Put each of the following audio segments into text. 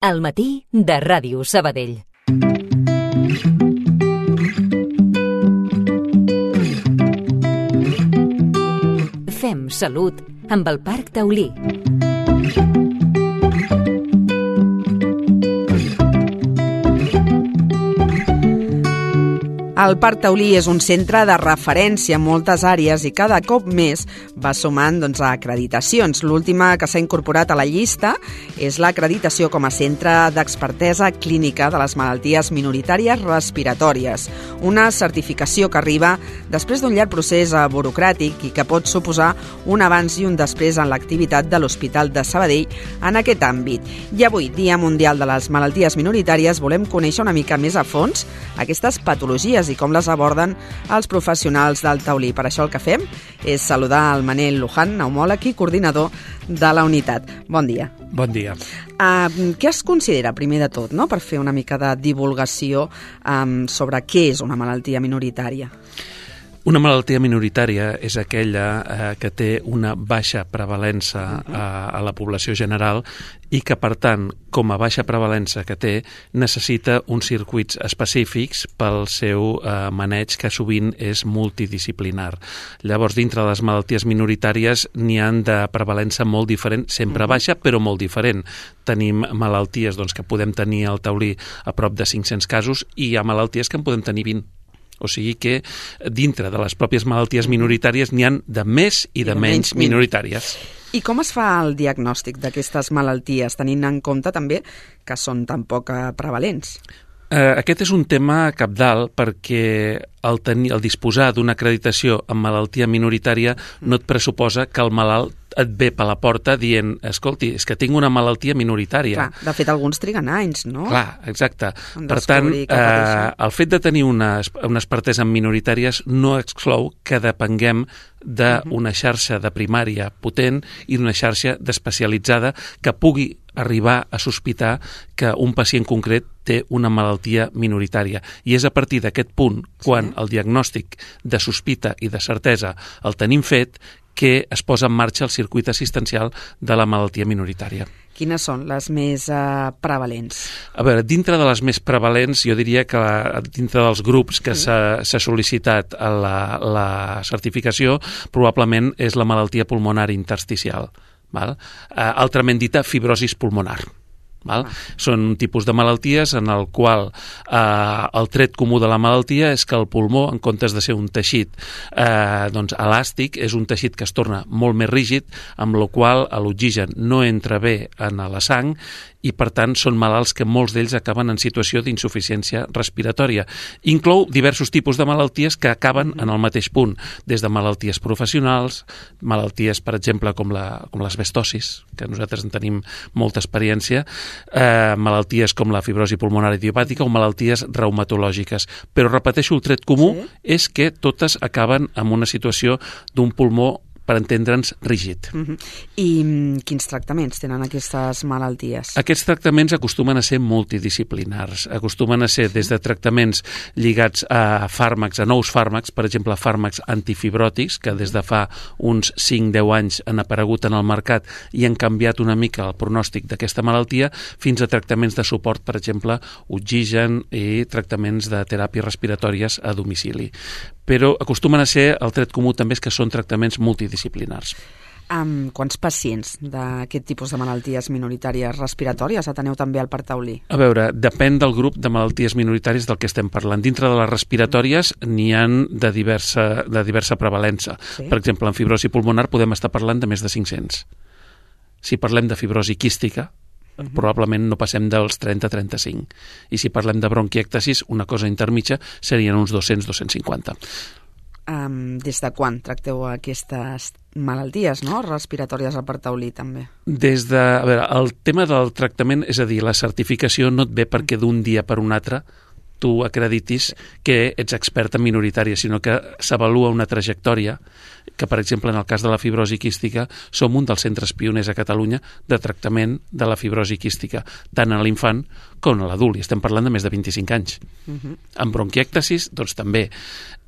Al matí de Ràdio Sabadell. Fem salut amb el Parc Taulí. El Parc Taulí és un centre de referència en moltes àrees i cada cop més va sumant acreditacions. L'última que s'ha incorporat a la llista és l'acreditació com a centre d'expertesa clínica de les malalties minoritàries respiratòries, una certificació que arriba després d'un llarg procés burocràtic i que pot suposar un abans i un després en l'activitat de l'Hospital de Sabadell en aquest àmbit. I avui, Dia Mundial de les Malalties Minoritàries, volem conèixer una mica més a fons aquestes patologies i com les aborden els professionals del Taulí. Per això el que fem és saludar el Manel Luján, pneumòleg i coordinador de la unitat. Bon dia. Bon dia. Què es considera, primer de tot, per fer una mica de divulgació sobre què és una malaltia minoritària? Una malaltia minoritària és aquella que té una baixa prevalença a la població general i que, per tant, com a baixa prevalença que té, necessita uns circuits específics pel seu maneig, que sovint és multidisciplinar. Llavors, dintre de les malalties minoritàries n'hi ha de prevalença molt diferent, sempre baixa, però molt diferent. Tenim malalties que podem tenir al Taulí a prop de 500 casos i hi ha malalties que en podem tenir 20. O sigui que dintre de les pròpies malalties minoritàries n'hi ha de més i de menys minoritàries. I com es fa el diagnòstic d'aquestes malalties, tenint en compte també que són tan poc prevalents? Aquest és un tema cabdal perquè el disposar d'una acreditació en malaltia minoritària no et pressuposa que el malalt et ve per la porta dient, escolti, és que tinc una malaltia minoritària. Clar, de fet, alguns triguen anys, no? Clar, exacte. Per tant, el fet de tenir una expertesa en minoritàries no exclou que depenguem d'una xarxa de primària potent i d'una xarxa d'especialitzada que pugui arribar a sospitar que un pacient concret té una malaltia minoritària. I és a partir d'aquest punt, quan el diagnòstic de sospita i de certesa el tenim fet, que es posa en marxa el circuit assistencial de la malaltia minoritària. Quines són les més prevalents? A veure, dintre de les més prevalents, jo diria que dintre dels grups que s'ha sol·licitat a la certificació, probablement és la malaltia pulmonar intersticial, altrament dita fibrosis pulmonar. Són un tipus de malalties en el qual el tret comú de la malaltia és que el pulmó, en comptes de ser un teixit elàstic, és un teixit que es torna molt més rígid, amb la qual l'oxigen no entra bé en la sang i, per tant, són malalts que molts d'ells acaben en situació d'insuficiència respiratòria. Inclou diversos tipus de malalties que acaben en el mateix punt, des de malalties professionals, malalties, per exemple, com l'asbestosis, que nosaltres en tenim molta experiència, malalties com la fibrosi pulmonar idiopàtica o malalties reumatològiques. Però, repeteixo, el tret comú és que totes acaben en una situació d'un pulmó, per entendre'ns, rígid. I quins tractaments tenen aquestes malalties? Aquests tractaments acostumen a ser multidisciplinars. Acostumen a ser des de tractaments lligats a fàrmacs, a nous fàrmacs, per exemple, fàrmacs antifibròtics, que des de fa uns 5-10 anys han aparegut en el mercat i han canviat una mica el pronòstic d'aquesta malaltia, fins a tractaments de suport, per exemple, oxigen i tractaments de teràpies respiratòries a domicili. Però acostumen a ser, el tret comú també és que són tractaments multidisciplinars. Quants pacients d'aquest tipus de malalties minoritàries respiratòries ateneu també al Parc Taulí? A veure, depèn del grup de malalties minoritàries del que estem parlant. Dintre de les respiratòries n'hi ha de diversa prevalença. Per exemple, en fibrosi pulmonar podem estar parlant de més de 500. Si parlem de fibrosi quística, probablement no passem dels 30-35. I si parlem de bronquiectasis, una cosa intermitja, serien uns 200-250. Des de quan tracteu aquestes malalties respiratòries al Parc Taulí, també? El tema del tractament, és a dir, la certificació no et ve perquè d'un dia per un altre tu acreditis que ets expert en minoritària, sinó que s'avalua una trajectòria que, per exemple, en el cas de la fibrosi quística, som un dels centres pioners a Catalunya de tractament de la fibrosi quística, tant a l'infant com a l'adult, i estem parlant de més de 25 anys. En bronquièctasis, doncs també.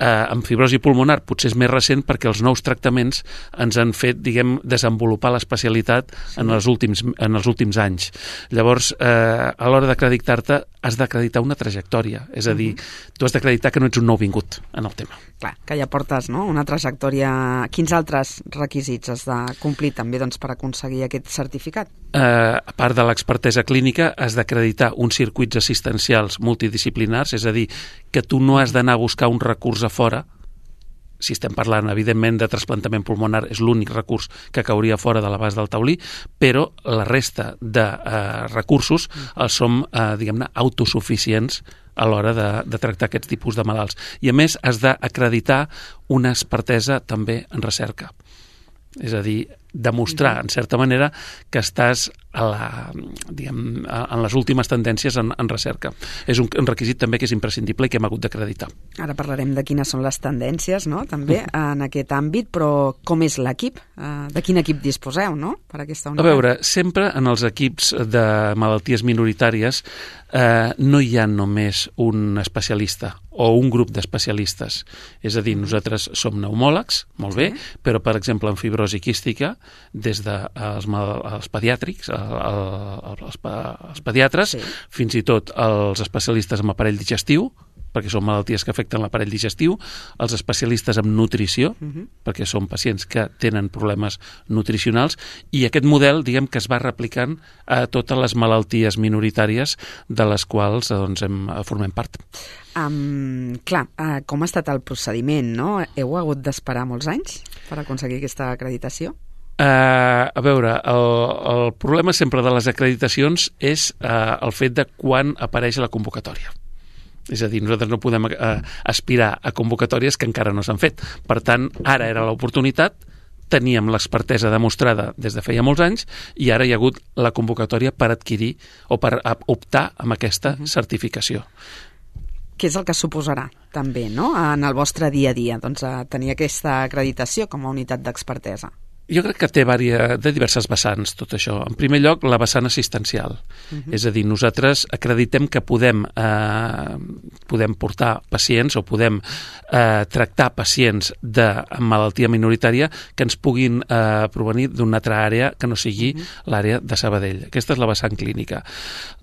En fibrosi pulmonar potser és més recent perquè els nous tractaments ens han fet, diguem, desenvolupar l'especialitat en els últims anys. Llavors, a l'hora d'acreditar-te, has d'acreditar una trajectòria, és a dir, tu has d'acreditar que no ets un nouvingut en el tema. Clar, que ja portes, no?, una trajectòria. Quins altres requisits has de complir també, doncs, per aconseguir aquest certificat? A part de l'expertesa clínica, has d'acreditar uns circuits assistencials multidisciplinars, és a dir, que tu no has d'anar a buscar un recurs a fora. Si estem parlant, evidentment, de trasplantament pulmonar, és l'únic recurs que cauria fora de l'abast del taulí, però la resta de recursos els som, diguem-ne, autosuficients a l'hora de tractar aquests tipus de malalts. I, a més, has d'acreditar una expertesa també en recerca. És a dir, demostrar, en certa manera, que estàs en les últimes tendències en recerca. És un requisit també que és imprescindible i que hem hagut d'acreditar. Ara parlarem de quines són les tendències, no?, també en aquest àmbit, però com és l'equip? De quin equip disposeu, no?, per aquesta unitat? A veure, sempre en els equips de malalties minoritàries no hi ha només un especialista o un grup d'especialistes. És a dir, nosaltres som pneumòlegs, molt bé, però, per exemple, en fibrosi quística, des dels pediàtrics, els pediatres, fins i tot els especialistes en aparell digestiu, perquè són malalties que afecten l'aparell digestiu, els especialistes en nutrició, perquè són pacients que tenen problemes nutricionals, i aquest model, diguem, que es va replicant a totes les malalties minoritàries de les quals formem part. Clar, com ha estat el procediment, no? Heu hagut d'esperar molts anys per aconseguir aquesta acreditació? A veure, el problema sempre de les acreditacions és el fet de quan apareix la convocatòria. És a dir, nosaltres no podem aspirar a convocatòries que encara no s'han fet. Per tant, ara era l'oportunitat, teníem l'expertesa demostrada des de feia molts anys i ara hi ha hagut la convocatòria per adquirir o per optar amb aquesta certificació. Què és el que suposarà també, no?, en el vostre dia a dia, doncs, tenir aquesta acreditació com a unitat d'expertesa? Jo crec que té de diverses vessants tot això. En primer lloc, la vessant assistencial. És a dir, nosaltres acreditem que podem portar pacients o podem tractar pacients de malaltia minoritària que ens puguin provenir d'una altra àrea que no sigui l'àrea de Sabadell. Aquesta és la vessant clínica.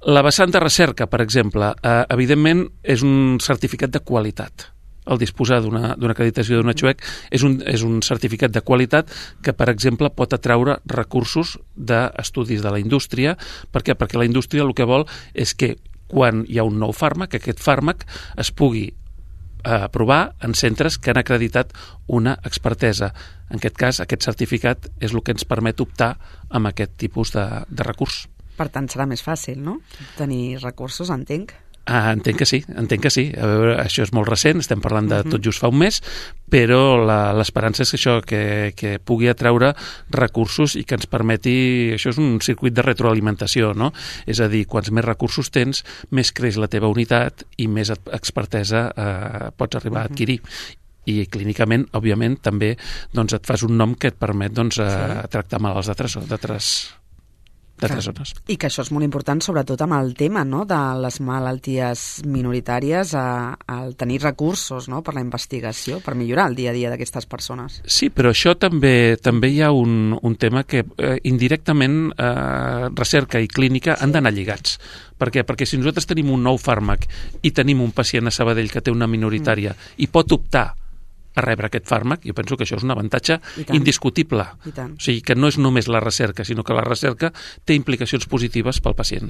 La vessant de recerca, per exemple, evidentment és un certificat de qualitat. El disposar d'una acreditació d'una XUEC és un certificat de qualitat que, per exemple, pot atraure recursos d'estudis de la indústria. Per què? Perquè la indústria el que vol és que quan hi ha un nou fàrmac, aquest fàrmac es pugui provar en centres que han acreditat una expertesa. En aquest cas, aquest certificat és el que ens permet optar amb aquest tipus de recurs. Per tant, serà més fàcil, no?, tenir recursos, entenc. Entenc que sí. A veure, això és molt recent, estem parlant de tot just fa un mes, però l'esperança és això, que pugui atraure recursos i que ens permeti... Això és un circuit de retroalimentació, no? És a dir, quants més recursos tens, més creix la teva unitat i més expertesa pots arribar a adquirir. I clínicament, òbviament, també et fas un nom que et permet tractar malalts d'altres zones. I que això és molt important, sobretot amb el tema, no?, de les malalties minoritàries, al tenir recursos, no?, per la investigació, per millorar el dia a dia d'aquestes persones. Sí, però això també hi ha un tema que indirectament recerca i clínica han d'anar lligats. Per què? Perquè si nosaltres tenim un nou fàrmac i tenim un pacient a Sabadell que té una minoritària i pot optar a rebre aquest fàrmac, jo penso que això és un avantatge indiscutible. O sigui, que no és només la recerca, sinó que la recerca té implicacions positives pel pacient.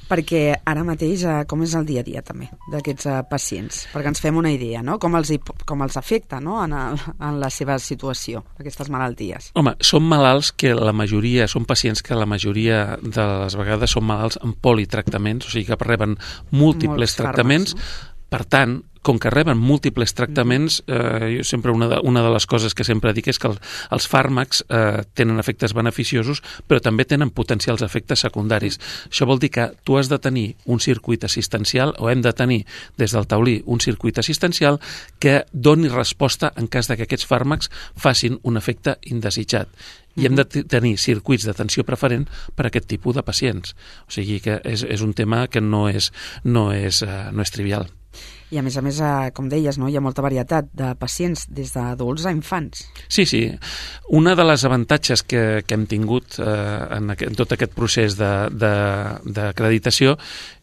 Perquè ara mateix, com és el dia a dia també d'aquests pacients? Perquè ens fem una idea, no?, com els afecta, no?, en la seva situació, aquestes malalties. Home, són malalts que són pacients que la majoria de les vegades són malalts amb politractaments, o sigui que reben múltiples tractaments. Per tant, com que reben múltiples tractaments, jo sempre una de les coses que sempre dic és que els fàrmacs tenen efectes beneficiosos, però també tenen potencials efectes secundaris. Això vol dir que tu has de tenir un circuit assistencial, o hem de tenir des del taulí un circuit assistencial que doni resposta en cas que aquests fàrmacs facin un efecte indesitjat. I hem de tenir circuits d'atenció preferent per a aquest tipus de pacients. O sigui que és un tema que no és trivial. I a més, com deies, no? Hi ha molta varietat de pacients des d'adults a infants. Sí. Una de les avantatges que hem tingut en tot aquest procés d'acreditació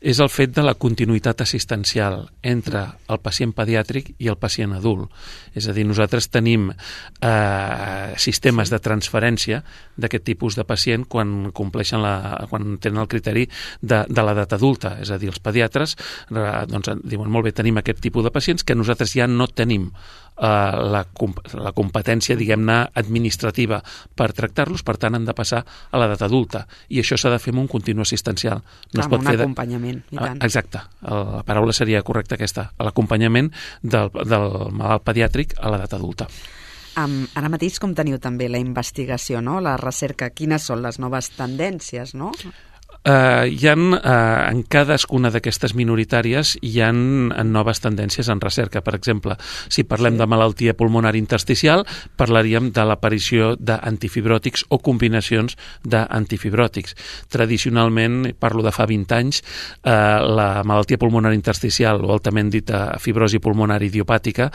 és el fet de la continuïtat assistencial entre el pacient pediàtric i el pacient adult. És a dir, nosaltres tenim sistemes de transferència d'aquest tipus de pacient quan quan tenen el criteri de l'edat adulta. És a dir, els pediatres diuen, molt bé, tenim aquest tipus de pacients que nosaltres ja no tenim la competència, diguem-ne, administrativa per tractar-los, per tant han de passar a l'edat adulta, i això s'ha de fer amb un continu assistencial. No amb un acompanyament, i tant. Exacte, la paraula seria correcta aquesta, l'acompanyament del malalt pediàtric a l'edat adulta. Ara mateix com teniu també la investigació, no? La recerca, quines són les noves tendències, no? Hi ha en cadascuna d'aquestes minoritàries hi ha noves tendències en recerca. Per exemple, si parlem de malaltia pulmonar intersticial, parlaríem de l'aparició d'antifibròtics o combinacions d'antifibròtics. Tradicionalment, parlo de fa 20 anys, la malaltia pulmonar intersticial, o altament dita fibrosi pulmonar idiopàtica,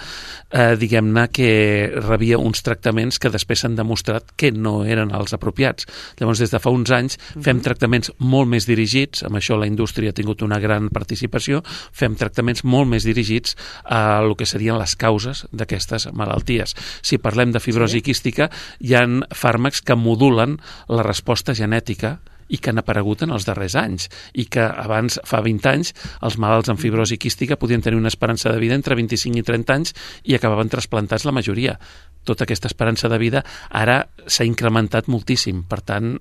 diguem-ne que rebia uns tractaments que després s'han demostrat que no eren els apropiats. Llavors, des de fa uns anys fem tractaments molt més dirigits, amb això la indústria ha tingut una gran participació, fem tractaments molt més dirigits a el que serien les causes d'aquestes malalties. Si parlem de fibrosi quística, hi ha fàrmacs que modulen la resposta genètica i que han aparegut en els darrers anys, i que abans, fa 20 anys, els malalts amb fibrosi quística podien tenir una esperança de vida entre 25 i 30 anys i acabaven trasplantats la majoria. Tota aquesta esperança de vida ara s'ha incrementat moltíssim. Per tant,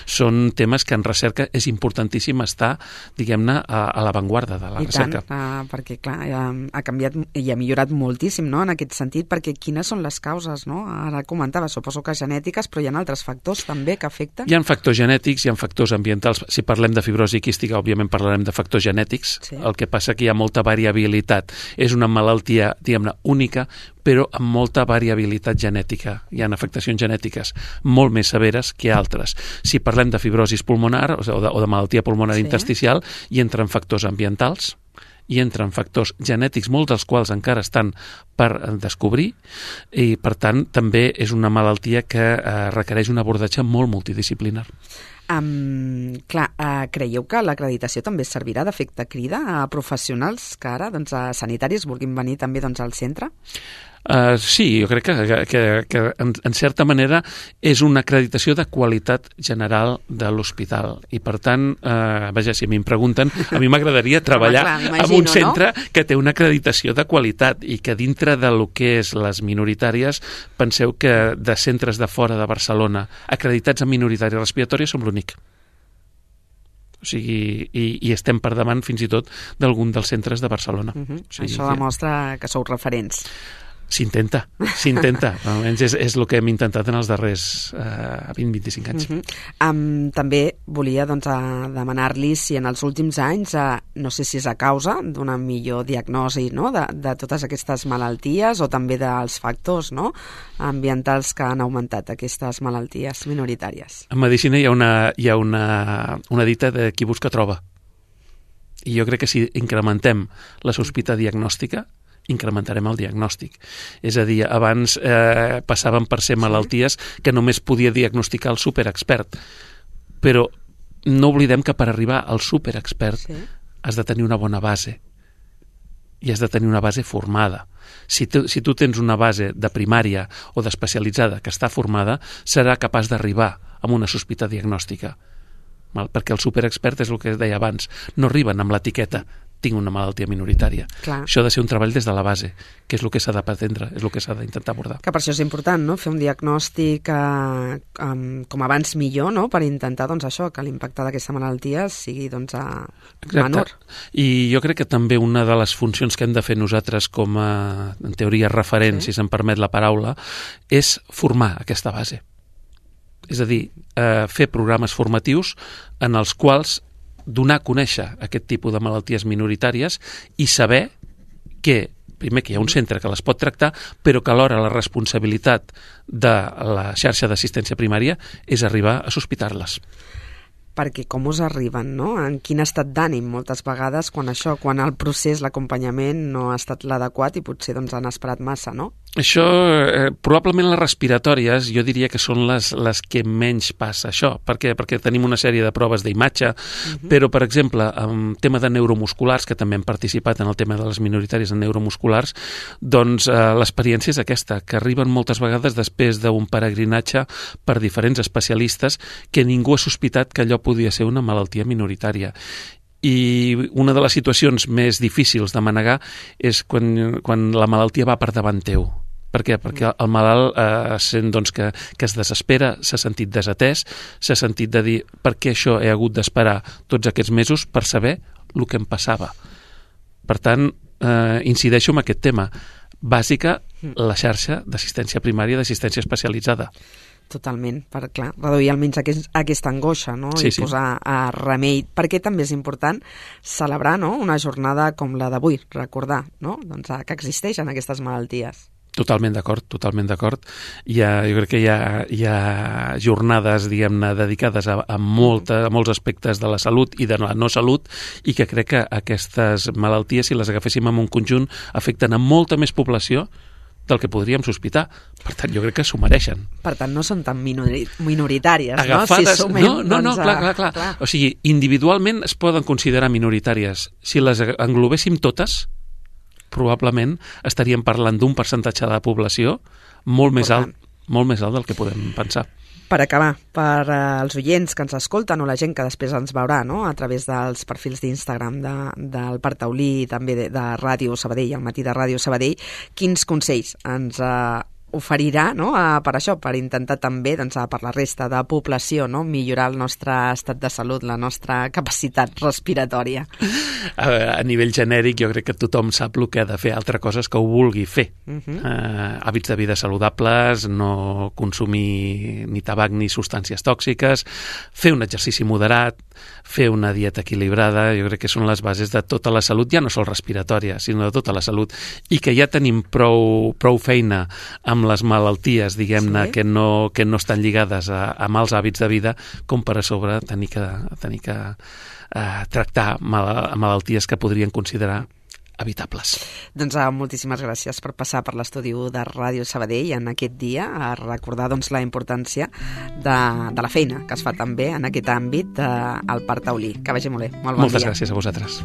són temes que en recerca és importantíssim estar, diguem-ne, a l'avantguarda de la recerca. I tant, perquè clar, ha canviat i ha millorat moltíssim, no?, en aquest sentit, perquè quines són les causes, no? Ara comentava, suposo que genètiques, però hi ha altres factors també que afecten. Hi ha factors genètics, hi ha factors ambientals. Si parlem de fibrosi quística, òbviament parlarem de factors genètics. El que passa que hi ha molta variabilitat. És una malaltia, diguem-ne, única, però amb molta variabilitat genètica. Hi ha afectacions genètiques molt més severes que altres. Si parlem de fibrosis pulmonar o de malaltia pulmonar intersticial, hi entren factors ambientals, hi entren factors genètics, molts dels quals encara estan per descobrir, i per tant també és una malaltia que requereix un abordatge molt multidisciplinar. Creieu que l'acreditació també servirà d'efecte crida a professionals que ara, a sanitaris, vulguin venir també al centre? Sí, jo crec que en certa manera és una acreditació de qualitat general de l'hospital, i per tant, vaja, si a mi em pregunten, a mi m'agradaria treballar en un centre que té una acreditació de qualitat, i que dintre de lo que és les minoritàries, penseu que de centres de fora de Barcelona acreditats en minoritària respiratòria som l'únic. O sigui, i estem per davant fins i tot d'algun dels centres de Barcelona. Això demostra que sou referents. S'intenta. Almenys és el que hem intentat en els darrers 20-25 anys. També volia demanar-li si en els últims anys, no sé si és a causa d'una millor diagnosi, no?, de totes aquestes malalties, o també dels factors, no?, ambientals que han augmentat aquestes malalties minoritàries. En medicina hi ha una dita de qui busca troba. I jo crec que si incrementem la sospita diagnòstica, incrementarem el diagnòstic. És a dir, abans passaven per ser malalties que només podia diagnosticar el superexpert, però no oblidem que per arribar al superexpert has de tenir una bona base, i has de tenir una base formada. Si tu tens una base de primària o d'especialitzada que està formada, serà capaç d'arribar amb una sospita diagnòstica. Perquè el superexpert és el que deia abans, no arriben amb l'etiqueta tinc una malaltia minoritària. Clar. Això ha de ser un treball des de la base, que és el que s'ha de pretendre, és el que s'ha d'intentar abordar. Que per això és important, no?, fer un diagnòstic com abans millor, no?, per intentar, doncs, això, que l'impacte d'aquesta malaltia sigui, doncs, menor. I jo crec que també una de les funcions que hem de fer nosaltres com a, en teoria, referents, si se'm permet la paraula, és formar aquesta base. És a dir, fer programes formatius en els quals donar a conèixer aquest tipus de malalties minoritàries i saber que, primer, que hi ha un centre que les pot tractar, però que alhora la responsabilitat de la xarxa d'assistència primària és arribar a sospitar-les. Perquè com us arriben, no? En quin estat d'ànim moltes vegades quan el procés, l'acompanyament no ha estat l'adequat i potser doncs han esperat massa, no? Això, probablement les respiratòries, jo diria que són les que menys passa això. Per què? Perquè tenim una sèrie de proves d'imatge, però, per exemple, en tema de neuromusculars, que també hem participat en el tema de les minoritàries en neuromusculars, doncs l'experiència és aquesta, que arriben moltes vegades després d'un peregrinatge per diferents especialistes que ningú ha sospitat que allò podia ser una malaltia minoritària. I una de les situacions més difícils de manegar és quan la malaltia va per davant teu. Per què? Perquè el malalt sent doncs, que es desespera, s'ha sentit desatès, s'ha sentit de dir per què això he hagut d'esperar tots aquests mesos per saber el que em passava. Per tant, incideixo en aquest tema. Bàsica, la xarxa d'assistència primària, d'assistència especialitzada. Totalment, per, clar, reduir almenys aquesta angoixa, no? Sí, I posar remei. Perquè també és important celebrar, no?, una jornada com la d'avui, recordar, no?, doncs, que existeixen aquestes malalties. Totalment d'acord, totalment d'acord. Jo crec que hi ha jornades, diguem-ne, dedicades a molts aspectes de la salut i de la no salut, i que crec que aquestes malalties, si les agaféssim en un conjunt, afecten a molta més població del que podríem sospitar. Per tant, jo crec que s'ho mereixen. Per tant, no són tan minoritàries, agafades, no? Si sumem, no, clar. O sigui, individualment es poden considerar minoritàries. Si les englobéssim totes, probablement estaríem parlant d'un percentatge de la població molt més alt del que podem pensar. Per acabar, per als oients que ens escolten o la gent que després ens veurà, no?, a través dels perfils d'Instagram del Parc Taulí i també de Ràdio Sabadell, al matí de Ràdio Sabadell, quins consells ens oferirà, no?, per això, per intentar també, doncs, per la resta de població, no?, millorar el nostre estat de salut, la nostra capacitat respiratòria. A nivell genèric, jo crec que tothom sap el que ha de fer, altra cosa és que ho vulgui fer. Hàbits de vida saludables, no consumir ni tabac ni substàncies tòxiques, fer un exercici moderat, fer una dieta equilibrada, jo crec que són les bases de tota la salut, ja no sol respiratòria, sinó de tota la salut, i que ja tenim prou feina amb les malalties, diguem-ne, que no estan lligades a mals hàbits de vida, com per a sobre tenir que tractar malalties que podrien considerar evitables. Doncs moltíssimes gràcies per passar per l'estudi de Ràdio Sabadell en aquest dia, a recordar doncs, la importància de la feina que es fa també en aquest àmbit al Parc Taulí. Que vagi molt bé. Molt bon dia. Moltes gràcies a vosaltres.